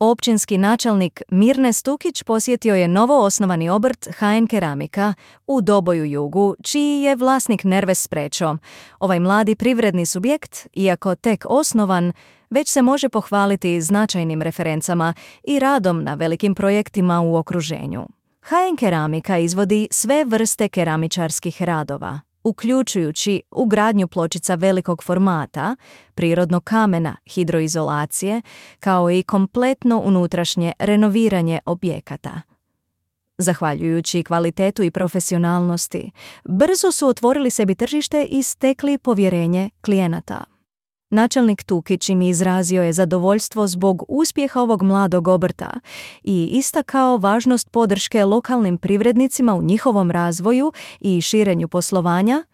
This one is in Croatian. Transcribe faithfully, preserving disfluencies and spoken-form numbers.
Općinski načelnik Mirne Stukić posjetio je novo osnovani obrt ha en Keramika u Doboju Jugu, čiji je vlasnik Nerves Sprečo. Ovaj mladi privredni subjekt, iako tek osnovan, već se može pohvaliti značajnim referencama i radom na velikim projektima u okruženju. ha en Keramika izvodi sve vrste keramičarskih radova, uključujući ugradnju pločica velikog formata, prirodnog kamena, hidroizolacije, kao i kompletno unutrašnje renoviranje objekata. Zahvaljujući kvalitetu i profesionalnosti, brzo su otvorili sebi tržište i stekli povjerenje klijenata. Načelnik Tukić im izrazio je zadovoljstvo zbog uspjeha ovog mladog obrta i istakao važnost podrške lokalnim privrednicima u njihovom razvoju i širenju poslovanja,